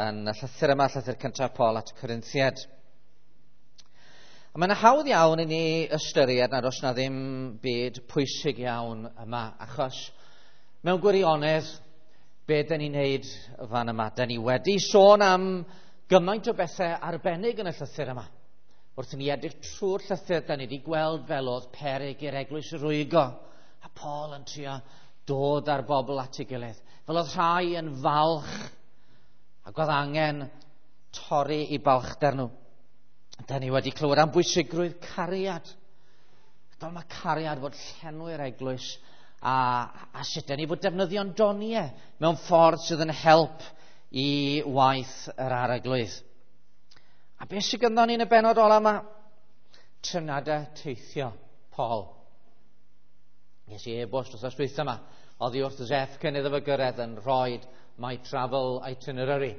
yn y llythyr yma, llythyr cyntaf Paul at y Corinthiaid. A mae'n hawdd iawn i ni ystyried nad oes na ddim byd pwysig iawn yma, achos mewn gwirionedd, be dyn ni'n neud fan yma? Dyn ni wedi sôn am gymaint o bethau arbennig yn y llythyr yma. Wrth i ni edrych trwy'r llythyr, dyn ni wedi gweld fel oedd peryg i'r eglwys rwygo, a Paul yn trio dod â'r bobl at ei gilydd. Fel oedd rhai yn falch ac oedd angen torri i balchder nhw. Da ni wedi clywed am bwysigrwydd cariad. Fel mae cariad fod llenwi'r eglwys a sut da ni fod defnyddio'n doniau mewn ffordd sydd yn help i waith yr arglwydd. A beth sydd gynddon ni yn y bennod ola yma? Trefniadau teithio Paul. Nes i e-bost wrth dwytha yma, oddi wrth Zeff cyn iddo fo gyrraedd yn rhoi my travel itinerary.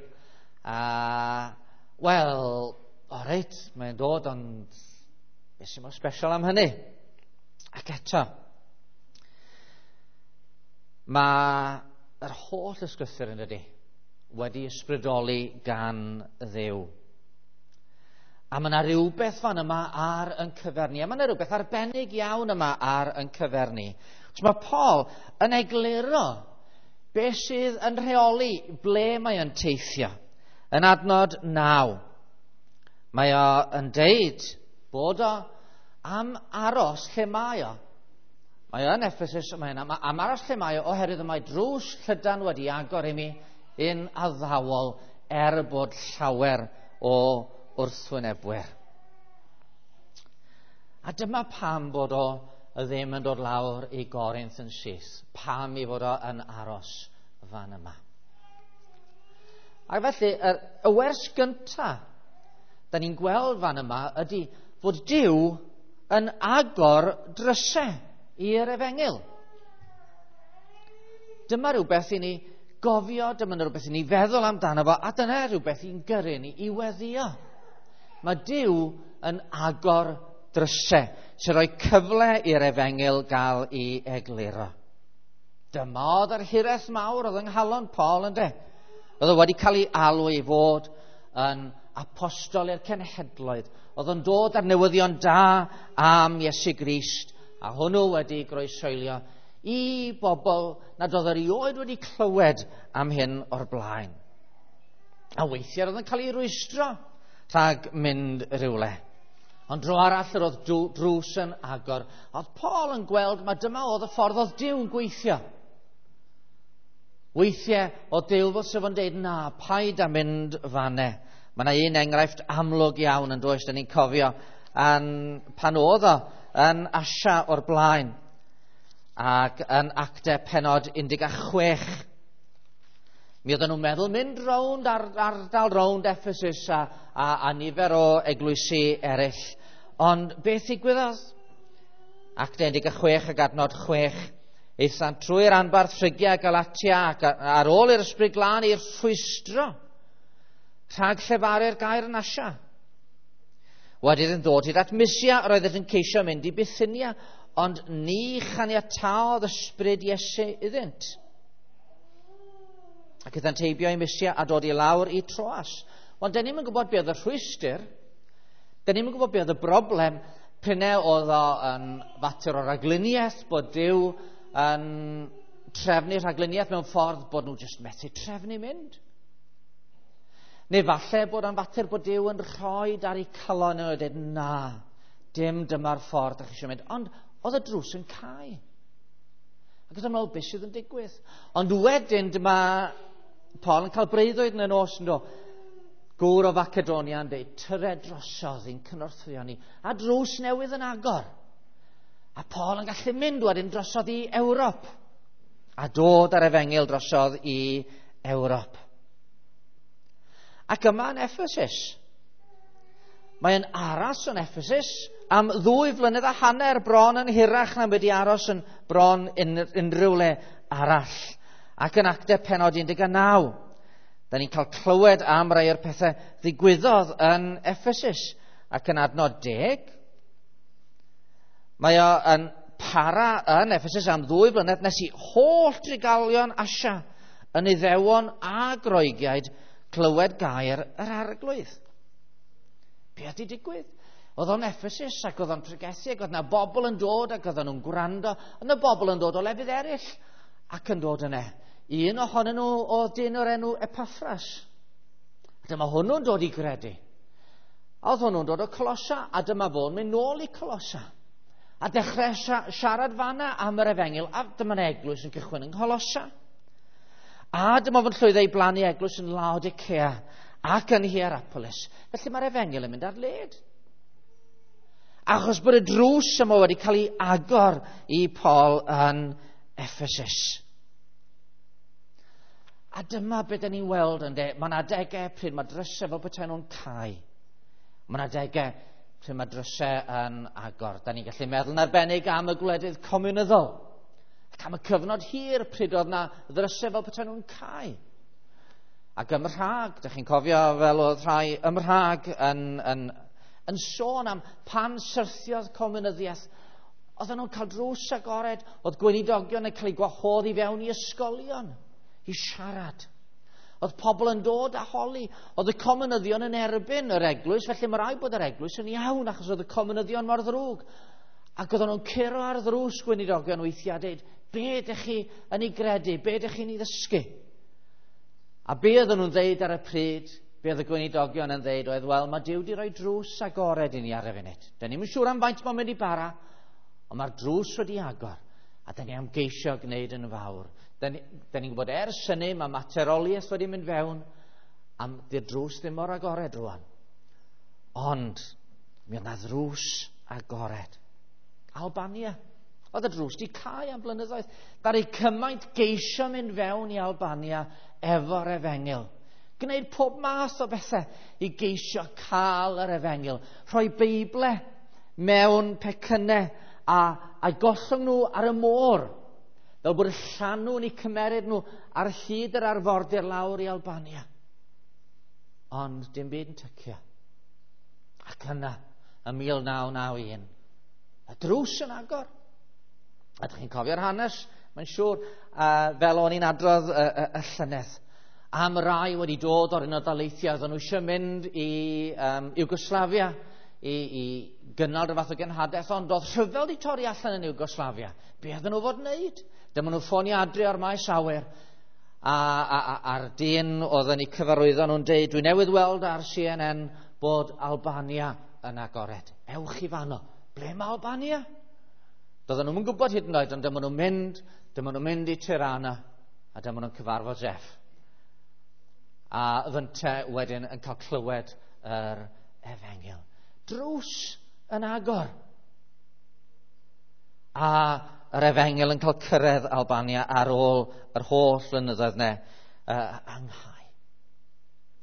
A, wel, o reit, mae'n dod, ond beth sy'n mor special am hynny? Ac eto, mae yr holl ysgrythur yn dydi wedi ysbrydoli gan Dduw. A mae yna rhywbeth fan yma ar yn cyfer ni. A mae yna rhywbeth arbennig iawn yma ar yn cyfer ni. So mae Paul yn egluro beth sydd yn rheoli ble mae o'n teithio. Yn adnod 9, mae o yn deud bod o am aros lle mae o. Mae o yn Ephesus, mae o'n am aros lle mae o oherwydd y mae drws llydan wedi agor i mi un addawol er bod llawer o wrthwynebwyr. A dyma pam bod o ddim yn dod lawr i Gorinth yn syth. Pam i fod o yn aros fan yma. Ac felly, y wers gyntaf da ni'n gweld fan yma ydy fod Duw yn agor drysau i'r efengyl. Dyma rhywbeth i ni gofio, dyma rhywbeth i ni feddwl amdano fo, a dyna rhywbeth i'n gyrru ni i weddio. Mae Duw yn agor drysau sy'n rhoi cyfle i'r efengyl gael ei egluro. Dyma oedd yr hiraeth mawr oedd yng nghalon Paul, ynde? Oedd o wedi cael ei alw i fod yn apostol i'r cenhedloedd. Oedd o'n dod ar newyddion da am Iesu Grist, a hwnnw wedi groesoelio i bobl nad oedd erioed wedi clywed am hyn o'r blaen. A weithiau oedd yn cael ei rwystro rhag mynd rhywle. Ond dro arall yr oedd drws yn agor. Oedd Paul yn gweld mae dyma oedd y ffordd oedd Duw yn gweithio. Weithiau oedd Duw fel sef yn deud, na, paid â mynd fanne. Mae yna un enghraifft amlwg iawn yn does, da ni'n cofio, pan oedd o yn Asia o'r blaen ac yn Actau pennod 16. Mi oedden nhw'n meddwl mynd rownd ardal rownd Ephesus a nifer o eglwysi eraill. Ond beth ddigwyddodd? Actau 16 ac adnod 6. Aethant trwy'r anbarth Phrygia a Galatia ac ar ôl i'r Ysbryd Glân i'r rhwystro rhag llefaru'r gair yn Asia. Wedi iddyn ddod hyd at Mysia, roedd yn ceisio mynd i Bithynia, ond ni chaniataodd ysbryd Iesu iddynt. Ac aethant heibio i Mysia a dod i lawr i Troas. Ond dyn ni'm yn gwybod beth oedd y rhwystr, dyn ni'm yn gwybod beth oedd y broblem, p'un oedd o yn fater o ragluniaeth, bod Duw yn trefnu rhagluniaeth mewn ffordd bod nhw jyst methu trefnu mynd. Neu falle bod o'n fater bod Duw yn rhoi ar eu calon nhw a dweud, na, dim dyma'r ffordd ydych chi eisiau mynd. Ond oedd y drws yn cau. Ac oedd yn meddwl, beth sydd yn digwydd? Ond wedyn dyma Paul yn cael breuddwyd yn y nos yn do. Gŵr o Facedonia yn dweud, tyred drosodd i'n cynorthwyo ni. A drws newydd yn agor. A Paul yn gallu mynd wedyn drosodd i Ewrop. A dod ar efengyl drosodd i Ewrop. Ac yma yn Ephesus. Mae'n aros yn Ephesus am 2.5 flynedd bron yn hirach na wedi aros yn bron unrhyw le arall. Ac yn Actau pennod 19, da ni'n cael clywed am rai o'r pethau ddigwyddodd yn Ephesus. Ac yn adnod 10, mae o yn para yn Ephesus am 2 blynedd nes i holl drigolion Asia yn Iddewon a Groegiaid Clywed gair yr Arglwydd. Be oedd 'di digwydd? Oedd o'n Ephesus ac oedd o'n pregethu ac oedd 'na bobl yn dod ac oedden nhw'n gwrando. Oedd 'na bobl yn dod o lefydd eraill ac yn dod yna. Un ohonyn nhw oedd dyn o'r enw Epaffras. A dyma hwnnw'n dod i gredu. A oedd hwnnw'n dod o Colossa, a dyma fo'n mynd nôl i Colossa. A dechrau siarad fanna am yr efengyl, a dyma'n eglwys yn cychwyn yng Ngholossa. A dyma fo'n llwyddo i blannu eglwys yn Laodicea ac yn Hierapolis. Felly mae'r efengyl yn mynd ar led. Achos bod y drws yma wedi cael ei agor i Paul yn Ephesus. A dyma beth ni'n weld yn de. Mae'n adegau pryd mae drysau fel petai nhw'n cau. Mae'n adegau pryd mae drysau yn agor. Da ni'n gallu meddwl yn arbennig am y gwledydd comiwnyddol. Ac am y cyfnod hir pryd oedd na ddrysau fel petai nhw'n cau. Ac ym Mhrag, da chi'n cofio fel oedd rhai ym Mhrag yn sôn am pan syrthiodd comiwnyddiaeth. Oedden nhw'n cael drws agored, oedd gweinidogion yn cael eu gwahodd i fewn i ysgolion i siarad. Oedd pobl yn dod a holi. Oedd y comiwnyddion yn erbyn yr eglwys, felly mae rhaid bod yr eglwys yn iawn achos oedd y comiwnyddion mor ddrwg. Ac oedden nhw'n curo ar ddrws gweinidogion weithiau a dweud, be ydych chi yn ei gredu, be ydych chi'n ei ddysgu? A be oedden nhw'n dweud ar y pryd, be oedd y gweinidogion yn dweud oedd, wel, mae Duw wedi rhoi drws agored i ni ar y funud. Da ni'm yn siŵr am faint mae'n mynd i bara, ond mae'r drws wedi agor, a da ni am geisio gwneud yn fawr. Da ni'n gwybod ers hynny, mae materoliaeth wedi mynd fewn, a di'r drws ddim mor agored rwan. Ond, mi oedd na ddrws agored. Albania. Oedd y drws di cau am blynyddoedd. Ddaru cymaint geisio mynd fewn i Albania efo'r efengyl. Gwneud pob math o bethau i geisio cael yr efengyl. Rhoi Beible mewn pecynnau a gollwng nhw ar y môr. Fel bod y llanw yn eu cymeryd nhw ar hyd yr arfordir lawr i Albania. Ond dim byd yn tycio. Ac yna, ym 1991, y drws yn agor. A ydych chi'n cofio'r hanes, mae'n siŵr, fel o'n i'n adrodd y llynedd, am rai wedi dod o'r Unol Daleithiau, oedden nhw eisiau mynd i Iwgoslavia i gynnal rhyw fath o genhadaeth, ond oedd rhyfel wedi torri allan yn Iwgoslavia. Be oedden nhw fod wneud? Dyma nhw ffonio adre o'r maes awyr, a'r dyn oedd yn eu cyfarwyddo nhw'n deud, dwi newydd weld ar CNN bod Albania yn agored. Ewch i fanno. Ble mae Albania? Doedden nhw'n gwybod hyd yn oed, ond dyma nhw'n mynd i Tirana, a dyma nhw'n cyfarfod Jeff. A fynte wedyn yn cael clywed yr efengyl. Drws yn agor. A yr efengyl yn cael cyrraedd Albania ar ôl yr holl flynyddoedd ne anghau.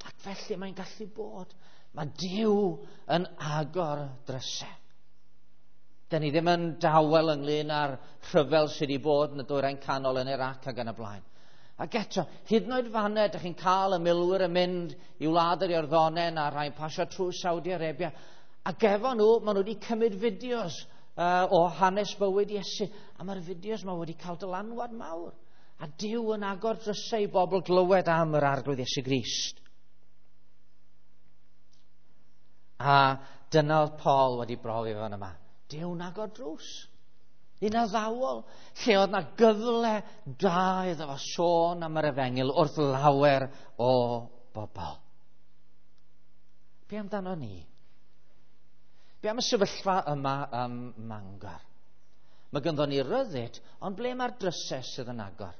Ac felly mae'n gallu bod. Mae Duw yn agor drysau. Da ni ddim yn dawel ynglyn â'r rhyfel sydd wedi bod yn y Dwyrain Canol yn Iraq ac yn y blaen. Ac eto, hyd yn oed fanna, ydych chi'n cael y milwyr yn mynd i wlad yr Iorddonen a rhai'n pasio trwy Saudi Arabia. Ac efo nhw, maen nhw wedi cymryd fideos o hanes bywyd Iesu. A mae'r fideos yma wedi cael dylanwad mawr. A Duw yn agor drysau i bobl glywed am yr Arglwydd Iesu Grist. A dyna oedd Paul wedi brofi fan yma. Duw'n agor drws. Un addawol, lle oedd na gyfle da iddo fo sôn am yr efengyl wrth lawer o bobl. Be amdano ni? Be am y sefyllfa yma ym Mangor? Mae ganddo ni ryddid, ond ble mae'r drysau sydd yn agor?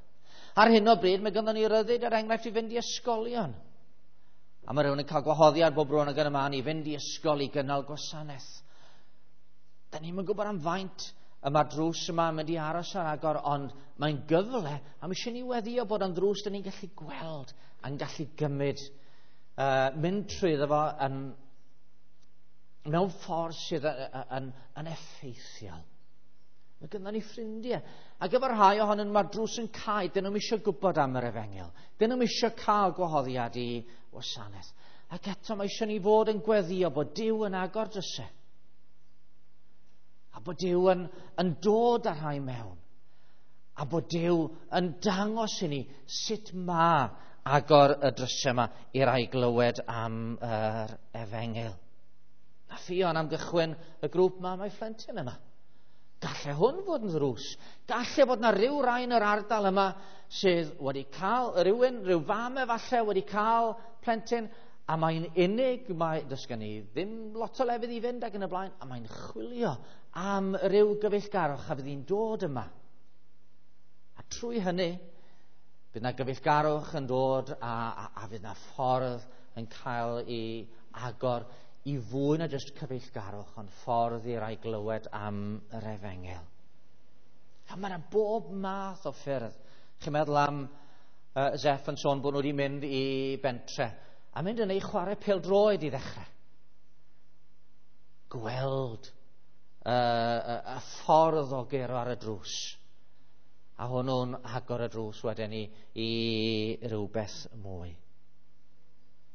Ar hyn o bryd, mae ganddo ni ryddid, er enghraifft, i fynd i ysgolion. A mae rhywun yn cael gwahoddiad bob rhywun ag yn y man i fynd i ysgol i gynnal gwasanaeth. Da ni'm yn gwybod am faint y mae'r drws yma yn mynd i aros ar agor, ond mae'n gyfle, a mae eisiau ni weddio bod yn ddrws da ni'n gallu gweld a'n gallu gymryd, mynd trwyddo fo yn, mewn ffordd sydd yn effeithiol. Mae gynnon ni ffrindiau. Ac efo rhai ohonyn nhw mae'r drws yn cau, dyn nhw'm eisiau gwybod am yr efengyl. Dyn nhw'm eisiau cael gwahoddiad i wasanaeth. Ac eto mae eisiau ni fod yn gweddio bod Duw yn agor drysau. A bod Duw yn dod â rhai mewn. A bod Duw yn dangos i ni sut mae agor y drysau yma i rai glywed am yr efengyl. A Ffion am gychwyn y grŵp yma, mae phlentyn yma. Galle hwn fod yn ddrws. Galle fod na ryw rai yn yr ardal yma sydd wedi cael rhywun, rhyw fam efallai wedi cael plentyn, a mae'n unig, mae, does gen i ddim lot o lefydd i fynd ac yn y blaen, a mae'n chwilio am ryw gyfeillgarwch a fydd hi'n dod yma. A trwy hynny, bydd na gyfeillgarwch yn dod a fydd na ffordd yn cael ei agor i fwy na jyst cyfeillgarwch, ond ffordd i rai glywed am yr efengyl. A mae yna bob math o ffyrdd. Chi'n meddwl am Zeff yn sôn bod nhw wedi mynd i bentre a mynd yn ei chwarae pêl-droed i ddechrau. Gweld y ffordd o gero ar y drws. A hwnnw'n agor y drws wedyn i rywbeth mwy.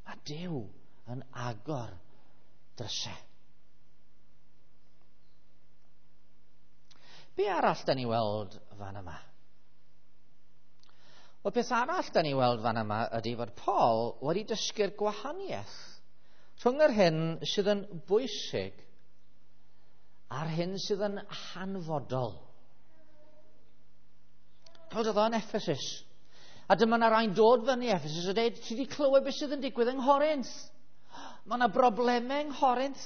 Mae Duw yn agor drysau. Be arall da ni weld fan yma? Wel, peth arall da ni weld fan yma ydy fod Paul wedi dysgu'r gwahaniaeth rhwng yr hyn sydd yn bwysig a'r hyn sydd yn hanfodol. Cofio oedd o'n Ephesus. A dyma na rai'n dod fyny Ephesus a dweud, ti wedi clywed beth sydd yn digwydd yng Nghorinth? Mae yna broblemau yng Nghorinth.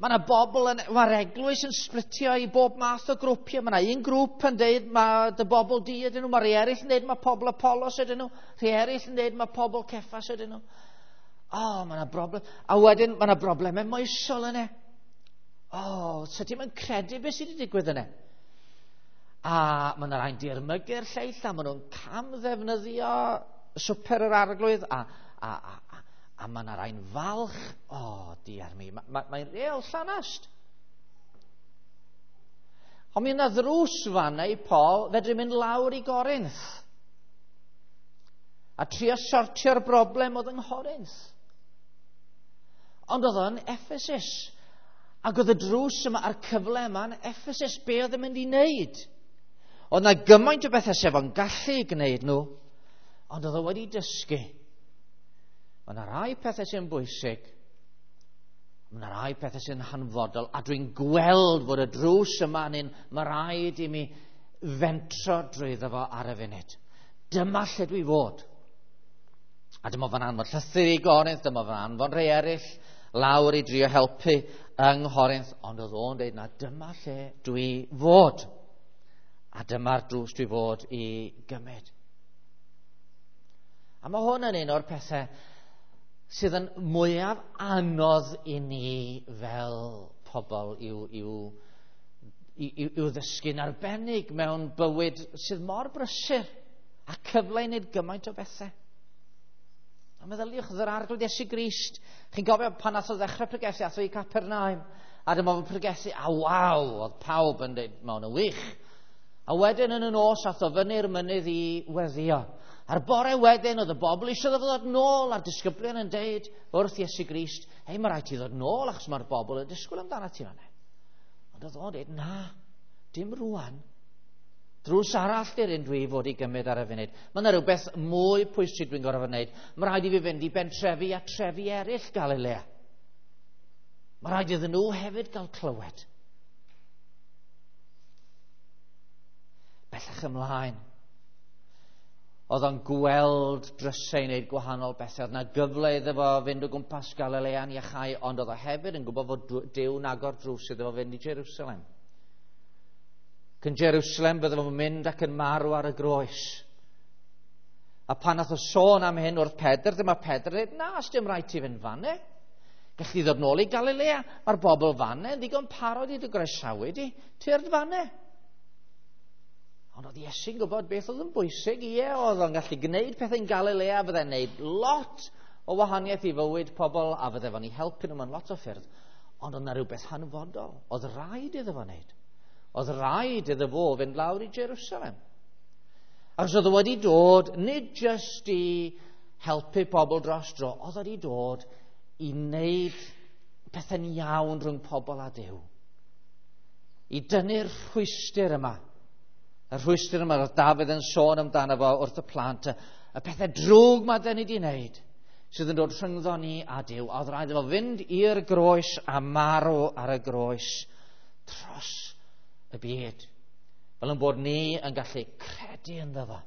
Mae yna bobl, mae'r eglwys yn splitio i bob math o grwpiau. Mae yna un grŵp yn dweud mae dy bobl di ydyn nhw, mae rhai eraill yn dweud mae pobl Apollos ydyn nhw, rhai eraill yn dweud mae pobl Ceffas ydyn nhw. O, mae yna broblem. A wedyn mae yna broblemau moesol yna. O, so ti'n mynd credu beth sydd wedi digwydd yna? A mae yna rhai'n dirmygu'r lleill, a maen nhw'n camddefnyddio swper yr arglwydd, a mae yna rhai'n falch. O, diar mi, mae'n real llanast. Ond mi yna ddrws fanna i Paul fedru mynd lawr i Gorinth a trio sortio'r broblem oedd yng Nghorinth. Ond oedd o'n Ephesus. Ac oedd y drws yma a'r cyfle yma yn Ephesus, be oedd yn mynd i wneud? Oedd yna gymaint o bethau sef o'n gallu gwneud nhw, ond oedd o wedi dysgu. Mae yna rai pethau sy'n bwysig, mae yna rai pethau sy'n hanfodol, a dwi'n gweld fod y drws yma yn un, mae rhaid i mi fentro drwyddo fo ar y funud. Dyma lle dwi fod. A dyma fo'n anfon llythyr i Gorinth, dyma fo'n anfon rhai eraill lawr i drio helpu yng Nghorinth, ond oedd o'n dweud na dyma lle dwi fod. A dyma'r drws dwi fod i gymryd. A mae hwn yn un o'r pethau sydd yn mwyaf anodd i ni fel pobl i'w ddysgu'n arbennig mewn bywyd sydd mor brysur a cyfle i wneud gymaint o bethau. A meddyliwch yr Arglwydd Iesu Grist. Chi'n gofio pan nath o ddechrau pregethu, ath o i Capernaum, a dyma fo'n pregethu, a waw, oedd pawb yn dweud, mae hwn yn wych. A wedyn yn y nos, ath o fyny'r mynydd i weddio. A'r bore wedyn, oedd y bobl eisiau ddod nôl, a'r disgyblion yn deud wrth Iesu Grist, hei, mae rhaid ti ddod nôl, achos mae'r bobl yn disgwyl amdano ti fan'na. Ond oedd o'n deud, na, dim rwan. Drws arall di'r un dwi fod i gymryd ar y funud. Mae yna rhywbeth mwy pwysig dwi'n gorfod wneud. Mae rhaid i fi fynd i bentrefi a trefi eraill Galilea. Mae rhaid iddyn nhw hefyd gael clywed. Bellach ymlaen. Oedd o'n gweld drysau i wneud gwahanol bethau. Oedd yna gyfle iddo fo fynd o gwmpas Galilea'n iachau, ond oedd o hefyd yn gwybod fod Duw'n agor drws iddo fo fynd i Jerusalem. Cyn Jerusalem bydde fo'n mynd ac yn marw ar y groes. A pan nath o sôn am hyn wrth Pedr, dyma Pedr dweud, na, sdim rhaid ti fynd fanne. Gallu ddod nôl i Galilea. Mae'r bobl fanne yn ddigon parod i dy groesawu di, tyrd fanne. Ond oedd Iesu'n gwybod beth oedd yn bwysig. Ie, oedd o'n gallu gwneud pethau'n Galilea, fydde'n gwneud lot o wahaniaeth i fywyd pobl, a fydde fo'n eu helpu nhw mewn lot o ffyrdd. Ond oedd yna rhywbeth hanfodol. Oedd rhaid iddo fo wneud. Oedd rhaid iddo fo fynd lawr i Jerusalem. Achos oedd o wedi dod, nid jyst i helpu pobl dros dro, oedd wedi dod i wneud pethau'n iawn rhwng pobl a Duw. I dynnu'r rhwystr yma. Y rhwystr yma oedd Dafydd yn sôn amdano fo wrth y plant, Y pethau drwg mae dyn ni wedi wneud sydd yn dod rhyngddo ni a Duw. A oedd rhaid iddo fynd i'r groes a marw ar y groes dros y byd. Fel yn bod ni yn gallu credu ynddo fo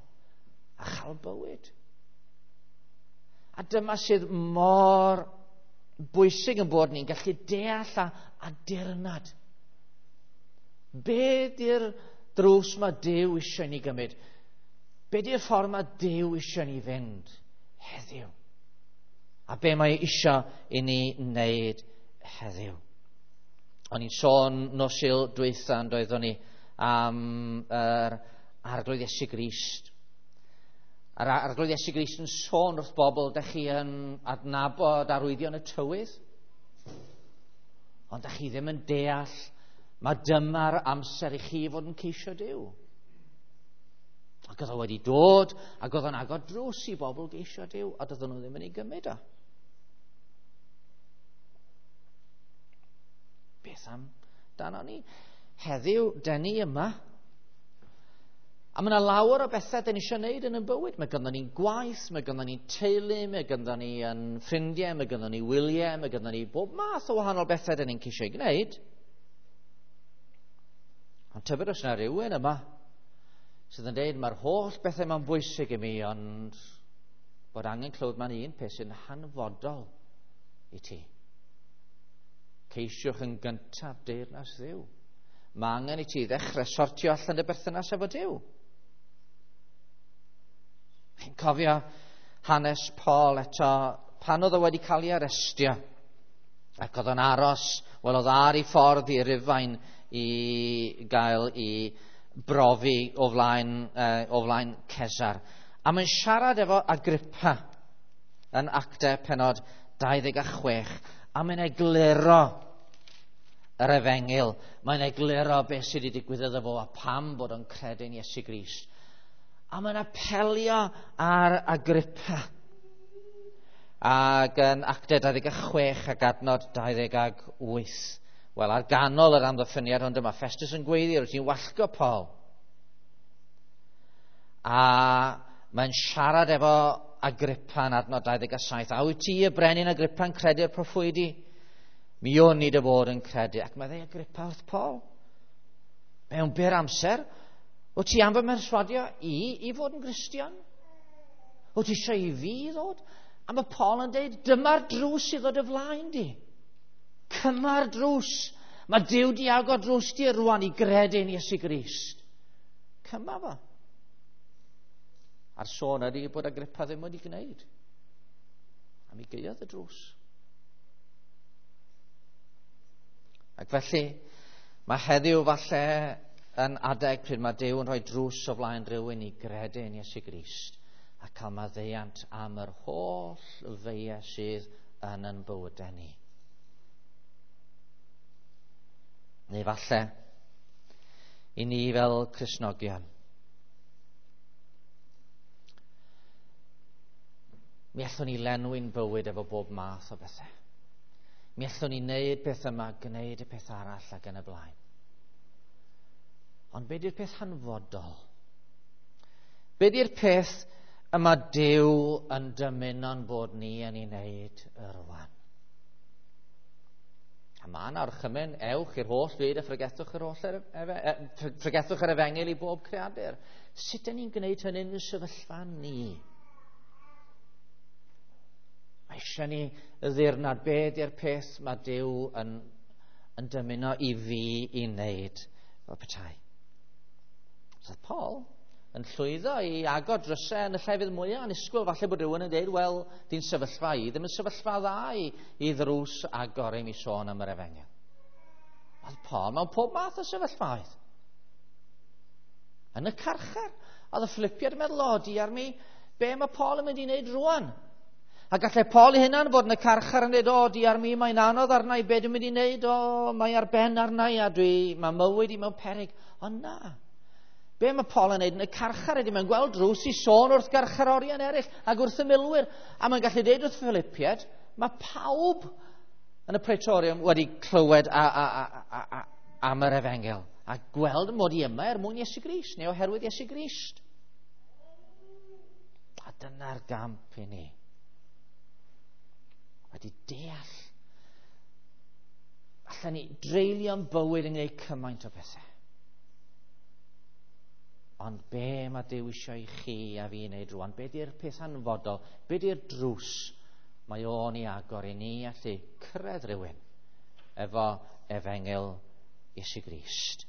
a chael bywyd. A dyma sydd mor bwysig yn bod ni'n gallu deall a dirnad. Be di'r drws mae Duw eisiau ni gymryd? Be di'r ffordd mae Duw eisiau ni fynd heddiw? A be mae eisiau i ni wneud heddiw? O'n i'n sôn nos Sul dwytha yn doeddwn ni am yr Arglwydd Iesu Grist. A'r Arglwydd Iesu Grist yn sôn wrth bobl, dych chi yn adnabod arwyddion y tywydd, ond dych chi ddim yn deall, mae dyma'r amser i chi fod yn ceisio Duw. Ac oedd o wedi dod, ac oedd o'n agor drws i bobl geisio Duw, a doedden nhw ddim yn ei gymryd o. Beth am dano ni? Heddiw, den ni yma. A mae yna lawer o bethau dyn ni eisiau gwneud yn y bywyd. Mae gynnon ni'n gwaith, mae gynnon ni'n teulu, mae gynnon ni yn ffrindiau, mae gynnon ni wyliau, mae gynnon ni bob math o wahanol bethau dyn ni'n ceisio ei gwneud. Ond tybed os yna rhywun yma sydd yn dweud mae'r holl bethau ma'n bwysig i mi, ond bod angen clywed mae'n un peth sy'n hanfodol i ti. Ceisiwch yn gyntaf deyrnas Dduw. Mae angen i ti ddechrau sortio allan dy berthynas efo Duw. Chi'n cofio hanes Paul eto, pan oedd o wedi cael ei arestio, ac oedd o'n aros, wel oedd ar ei ffordd i Rufain i gael ei brofi o flaen Cesar. A mae'n siarad efo Agrippa yn Actau penod 26, a mae'n egluro yr efengyl. Mae'n egluro beth sydd wedi digwydd iddo fo a pam bod o'n credu'n Iesu Grist. A mae'n apelio ar Agrippa. Ac yn Actau 26 ac adnod 28. Wel, ar ganol yr amddiffyniad, ond dyma Festus yn gweiddi, rwyt ti'n wallgo Paul. A mae'n siarad efo Agrippa yn adnod 27. A wyt ti y brenin Agrippa yn credu'r proffwydi? Mi o'n i dy fod yn credu. Ac mae dweud Agrippa wrth Paul. Mewn byr amser, wyt ti am fy mherswadio i fod yn Gristion? Wyt ti eisiau i fi ddod? A mae Paul yn dweud, dyma'r drws i ddod y flaen di. Cyma'r drws. Mae Duw di agor drws di rwan i gredu'n Iesu Grist. Cyma fo. A'r sôn ydy bod Agrippa ddim wedi gwneud. A mi gaeodd y drws. Ac felly, mae heddiw falle yn adeg pryd mae Duw yn rhoi drws o flaen rhywun i gredu yn Iesu Grist a cael maddeuant am yr holl feiau sydd yn yn bywydau ni. Neu falle, i ni fel Cristnogion, mi allwn ni lenwi'n bywyd efo bob math o bethau. Mi allwn ni wneud peth yma, gwneud y peth arall ac yn y blaen. Ond be di'r peth hanfodol? Be di'r peth yma Duw yn dymuno'n bod ni yn ei wneud rwan? A mae yna orchymyn, ewch i'r holl fyd a phregethwch yr holl phregethwch yr efengyl i bob creadur. Sut ydyn ni'n gwneud hynny yn y sefyllfa ni? Mae eisiau ni ddirnad be di'r peth mae Duw yn dymuno i fi i wneud fel petai. So Paul yn llwyddo i agor drysau yn y llefydd mwyaf annisgwyl. Falle bod rhywun yn dweud, wel, di'n sefyllfa i, ddim yn sefyllfa dda i ddrws agor i mi sôn am yr efengyl. Oedd Paul mewn pob math o sefyllfaoedd. Yn y carchar, oedd y Philippiaid yn meddwl, o, diar mi, be mae Paul yn mynd i wneud rwan? A gallai Paul ei hunan fod yn y carchar yn dweud, o, diar mi, mae'n anodd arna i, be dwi'n mynd i wneud, o, mae ar ben arna i, a mae mywyd i mewn peryg. Ond na. Be mae Paul yn neud yn y carchar ydy, mae'n gweld drws i sôn wrth garcharorion eraill ac wrth y milwyr. A mae'n gallu dweud wrth Philippiaid, mae pawb yn y Praetorium wedi clywed am yr efengyl a gweld mod i yma er mwyn Iesu Grist neu oherwydd Iesu Grist. A A dyna'r gamp i ni. Wedi deall. Allan ni dreulio'n bywyd yn gwneud cymaint o bethau. Ond be mae Duw eisiau i chi a fi wneud rwan? Be di'r peth hanfodol? Be di'r drws mae o'n ei agor i ni allu cyrraedd rhywun efo efengyl Iesu Grist?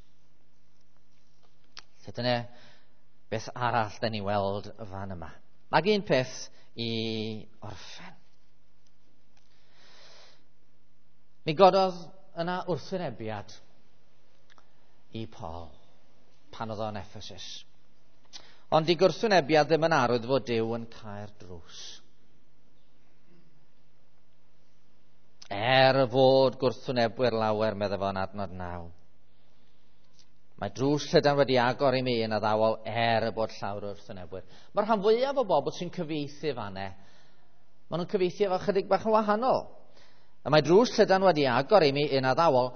Felly dyna beth arall da ni weld fan yma. Ac un peth i orffen. Mi gododd yna wrthwynebiad i Paul pan oedd o'n Ephesus. Ond di gwrthwynebiad ddim yn arwydd fod Duw yn cau'r drws. Er fod gwrthwynebwyr lawer, meddai fo'n adnod 9. Mae drws llydan wedi agor i mi yn addawol er y bod llawer o wrthwynebwyr. Mae'r rhan fwyaf o bobl sy'n cyfieithu fanne, maen nhw'n cyfieithu efo chydig bach yn wahanol. Y mae drws llydan wedi agor i mi yn addawol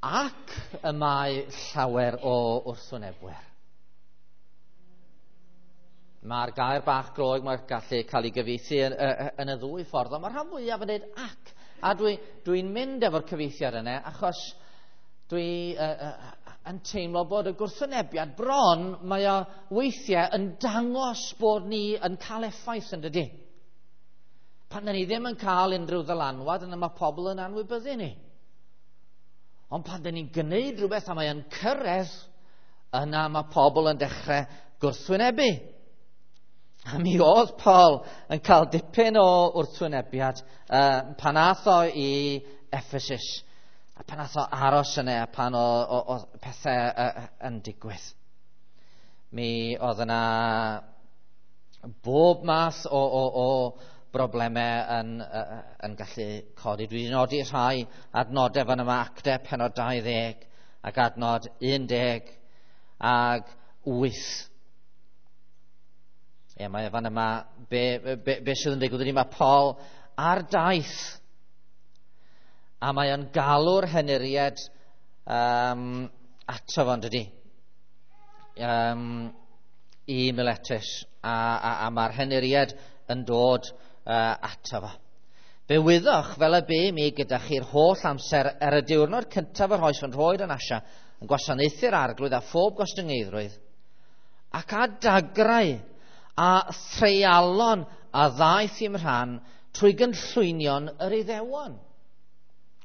ac y mae llawer o wrthwynebwyr. Mae'r gair bach Groeg mae'n gallu cael ei gyfieithu yn y ddwy ffordd, ond mae'r rhan fwyaf yn dweud ac. A dwi'n mynd efo'r cyfieithiad yna achos dwi yn teimlo bod y gwrthwynebiad bron, mae o weithiau yn dangos bod ni yn cael effaith yn dydy. Pan dyn ni ddim yn cael unrhyw ddylanwad, yna mae pobl yn anwybyddu ni. Ond pan dyn ni'n gwneud rhywbeth a mae yn cyrraedd, yna mae pobl yn dechrau gwrthwynebu. A mi oedd Paul yn cael dipyn o wrthwynebiad pan ath o i Ephesus, a pan ath o aros yna, a pan o pethau yn digwydd. Mi oedd yna bob math o broblemau yn gallu codi. Dwi wedi nodi rhai adnodau fan yma, Actau penod 20 ac adnod 18. Ie, mae fan yma, be sydd yn digwydd ydy mae Paul ar daith a mae o'n galw'r henuried ato fo'n dydy, i Miletus, a mae'r henuried yn dod ato fo. Fe wyddoch fel y bu mi gyda chi'r holl amser er y diwrnod cyntaf yr oes yn rhoed yn Asia, yn gwasanaethu'r arglwydd a phob gostyngeiddrwydd, ac a dagrau a threialon a ddaeth i'm rhan trwy gynllwynion yr Iddewon.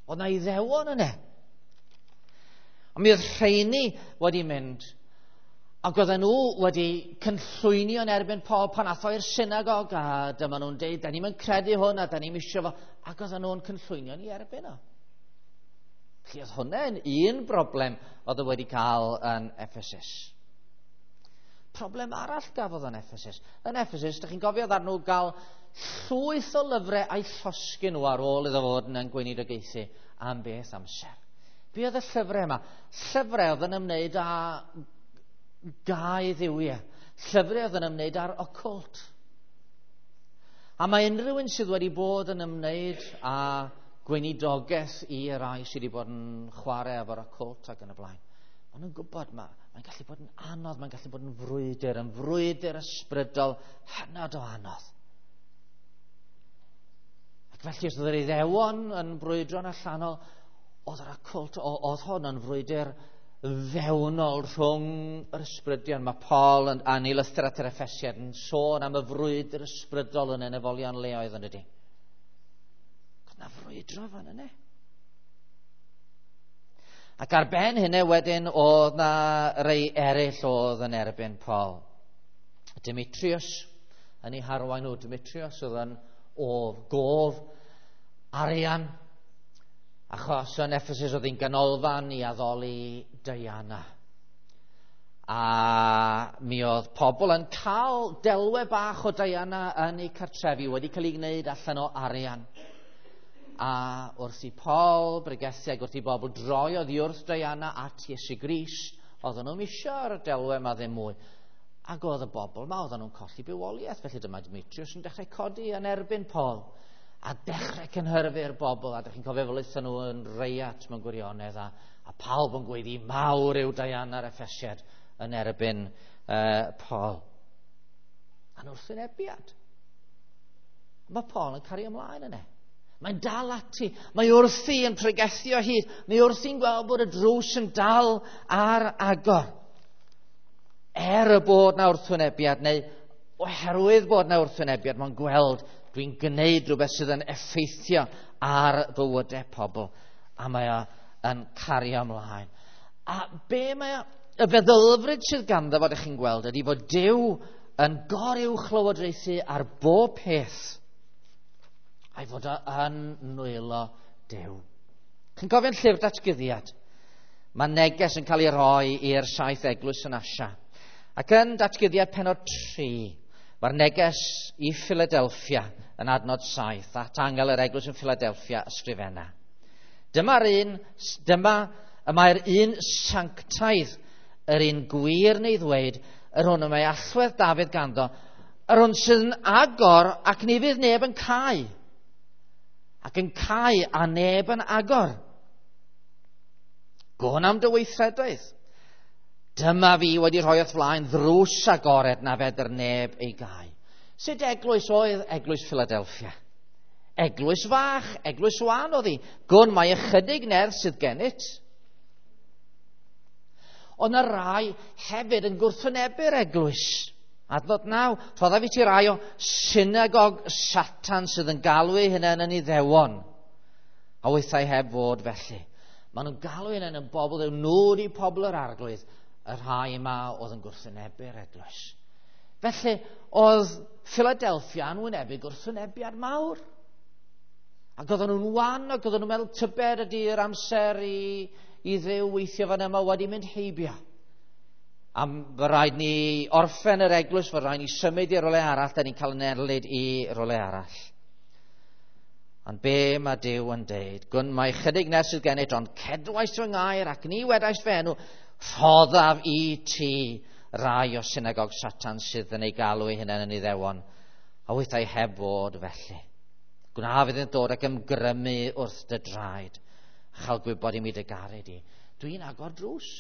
Oedd na Iddewon yna. Ond mi oedd rheini wedi mynd, ac oedden nhw wedi cynllwynio yn erbyn Paul pan ath o i'r synagog, a dyma nhw'n deud, da ni'm yn credu hwn, a da ni'm isio fo, ac oedden nhw'n cynllwynio yn erbyn o. Felly oedd hwnna'n un broblem oedd o wedi cael yn Ephesus. Problem arall gafodd yn Ephesus. Yn Ephesus, dych chi'n gofio ddaru nhw gael llwyth o lyfrau a'i llosgi nhw ar ôl iddo fod yn gweinidogaethu am beth amser. Be oedd y llyfrau yma? Llyfrau oedd yn ymwneud â gau dduwiau. Llyfrau oedd yn ymwneud â'r occult. A mae unrhyw un sydd wedi bod yn ymwneud â gweinidogaeth i rai sydd wedi bod yn chwarae efo'r occult ac yn y blaen, maen nhw'n gwybod mae'n gallu bod yn anodd, mae'n gallu bod yn frwydr ysbrydol hynod o anodd. Ac felly, os oedd yr Iddewon yn brwydro'n allanol, oedd yr occult, oedd hwn yn frwydr fewnol rhwng yr ysbrydion. Mae Paul yn ei lythyr at yr Effesiaid yn sôn am y frwydr ysbrydol yn enefolion leoedd yn dydy. Oedd na frwydro fan yna. Ac ar ben hynny wedyn oedd na rei eraill oedd yn erbyn Paul. Demetrius yn ei harwain nhw. Demetrius oedd yn gof arian, achos yn Ephesus oedd hi'n ganolfan i addoli Diana. A mi oedd pobl yn cael delwe bach o Diana yn eu cartrefi wedi cael ei gwneud allan o arian. A wrth i Paul bregethu ac wrth i bobl droi oddi wrth Diana at Iesu Grist, oedden nhw'n isio'r delwe yma ddim mwy. Ac oedd y bobl yma, oedden nhw'n colli bywoliaeth. Felly dyma Demetrius yn dechrau codi yn erbyn Paul a dechrau cynhyrfu'r bobl. A dych chi'n cofio fel aethon nhw yn reiat mewn gwirionedd, a pawb yn gweiddi mawr yw Diana'r Effesiad yn erbyn Paul. A'n wrthwynebiad. Mae Paul yn cario ymlaen yna. Mae'n dal ati. Mae wrthi yn pregethu o hyd. Mae wrthi'n gweld bod y drws yn dal ar agor. Er y bod na wrthwynebiad, neu oherwydd bod na wrthwynebiad, mae'n gweld dwi'n gwneud rhywbeth sydd yn effeithio ar fywydau pobl. A mae o yn cario ymlaen. A be mae o, y feddylfryd sydd ganddo fo, ydych chi'n gweld, ydy fod Duw yn goruwchlywodraethu ar bob peth, a'i fod o yn nwylo Duw. Chi'n cofio'n llyfr datguddiad? Mae neges yn cael ei roi i'r 7 eglwys yn Asia. Ac yn datguddiad pennod 3, mae'r neges i Philadelphia yn adnod 7, at angel yr eglwys yn Philadelphia ysgrifenna. Dyma y mae'r un sanctaidd, yr un gwir neu ddweud, yr hwn y mae allwedd Dafydd ganddo, yr hwn sydd yn agor ac ni fydd neb yn cau, ac yn cau a neb yn agor. Gwn am dy weithredoedd. Dyma fi wedi rhoi o'th flaen ddrws agored na fedr neb ei gau. Sut eglwys oedd eglwys Philadelphia? Eglwys fach, eglwys wan oedd hi. Gwn mae ychydig nerth sydd gennyt. Ond y rai hefyd yn gwrthwynebu'r eglwys. Adnod 9, rhoddaf i ti rai o synagog Satan sydd yn galw eu hunain yn Iddewon, a weithiau heb fod felly. Maen nhw'n galw eu hunain yn bobl ddew, nhw ydi pobl yr arglwydd, y rhai yma oedd yn gwrthwynebu'r eglwys. Felly, oedd Philadelphia yn wynebu gwrthwynebiad mawr. Ac oedden nhw'n wan, ac oedden nhw'n meddwl tybed ydy'r amser i Dduw weithio fan yma wedi mynd heibio. A fy rhaid ni orffen yr eglwys, fy rhaid ni symud i rywle arall, da ni'n cael yn erlid i rywle arall. Ond be mae Duw yn deud? Gwn mae chydig nes sydd gennyt, ond cedwais fy ngair ac ni wedais fy enw, rhoddaf i ti rai o synagog Satan sydd yn ei galw ei hunain yn Iddewon, a weithiau heb fod felly. Gwna fydd yn dod ac ymgrymu wrth dy draed, a chael gwybod i mi dy garu di. Dwi'n agor drws.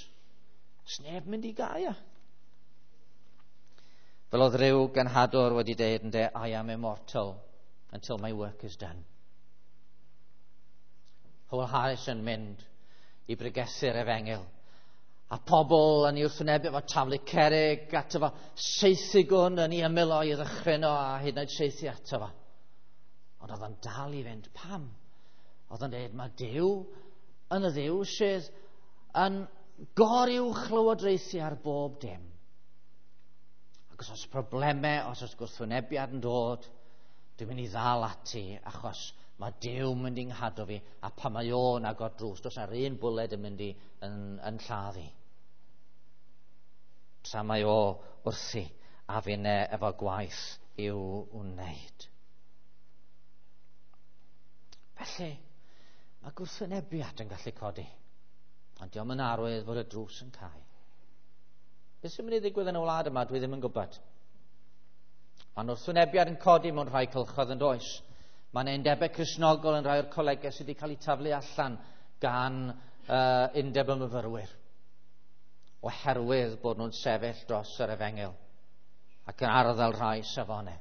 Sneb mynd i gau o. Fel oedd rhyw genhadwr wedi deud yn de, I am immortal until my work is done. Howell Harris yn mynd i bregethu'r efengyl. A pobl yn ei wrthwynebu efo taflu cerrig ato fo, saethu gwn yn ei ymyl o i ddychryn o a hyd yn oed saethu ato fo. Ond oedd o'n dal i fynd. Pam? Oedd o'n dweud, mae Duw yn y Dduw sydd yn goruwchlywodraethu ar bob dim. Ac os oes problemau, os oes gwrthwynebiad yn dod, dwi'n mynd i ddal ati achos mae Duw mynd i'n nghadw fi, a pan mae o'n agor drws, does na'r un bwled yn mynd i yn lladd i. Tra mae o wrthi a finne efo gwaith i'w wneud. Felly, mae gwrthwynebiad yn gallu codi. Ond diolch yn arwydd fod y drws yn cau. Beth sy'n mynd i ddigwydd yn y wlad yma, dwi ddim yn gwybod. Mae'n wrthwynebiad yn codi mewn rhai cylchoedd yn does. Mae'n undebau Cristnogol yn rhai o'r colegau sydd wedi cael eu taflu allan gan undeb y myfyrwyr, oherwydd bod nhw'n sefyll dros yr efengyl ac yn arddel rhai safonau.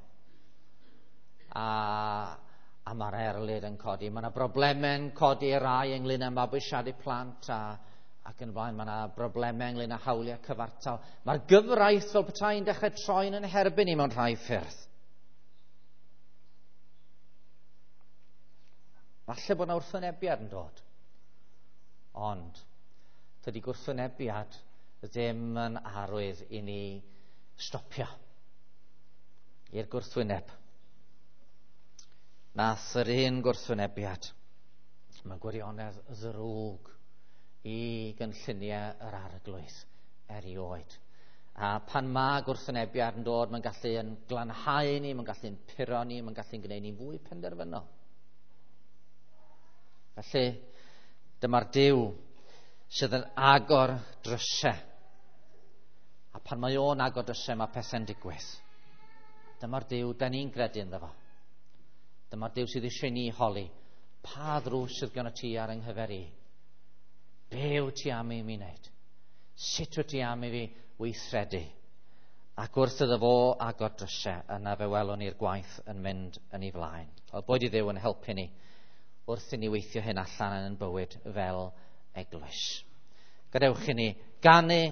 A mae'r erlid yn codi. Mae yna broblemau'n codi rai ynglyn â mabwysiadu plant ac yn blaen. Mae yna broblemau ynglyn â hawliau cyfartal. Mae'r gyfraith fel petai'n dechrau troi'n yn herbyn i mewn rhai ffyrdd. Falle bod yna wrthwynebiad yn dod. Ond dydy gwrthwynebiad ddim yn arwydd i ni stopio i'r gwrthwyneb. Nath yr un gwrthwynebiad, mae gwirionedd ddrwg i gynlluniau yr arglwydd erioed. A pan mae gwrthwynebiad yn dod, mae'n gallu yn glanhau ni, mae'n gallu yn puro ni, mae'n gallu yn gwneud ni fwy penderfynol. Felly, dyma'r Duw sydd yn agor drysau. A pan mae o'n agor drysau, mae pethau'n digwydd. Dyma'r Duw da ni'n credu ynddo fo. Dyma'r Duw sydd eisiau ni holi. Pa ddrws sydd gen ti ar yng nghyfer i? Be wyt ti am i mi wneud? Sut wyt ti am i fi weithredu Ac wrth iddo fo agor drysau, yna fe welwn ni'r gwaith yn mynd yn ei flaen. Wel, boed i Dduw yn helpu ni wrth i ni weithio hyn allan yn ein bywyd fel eglwys. Gadewch i ni ganu.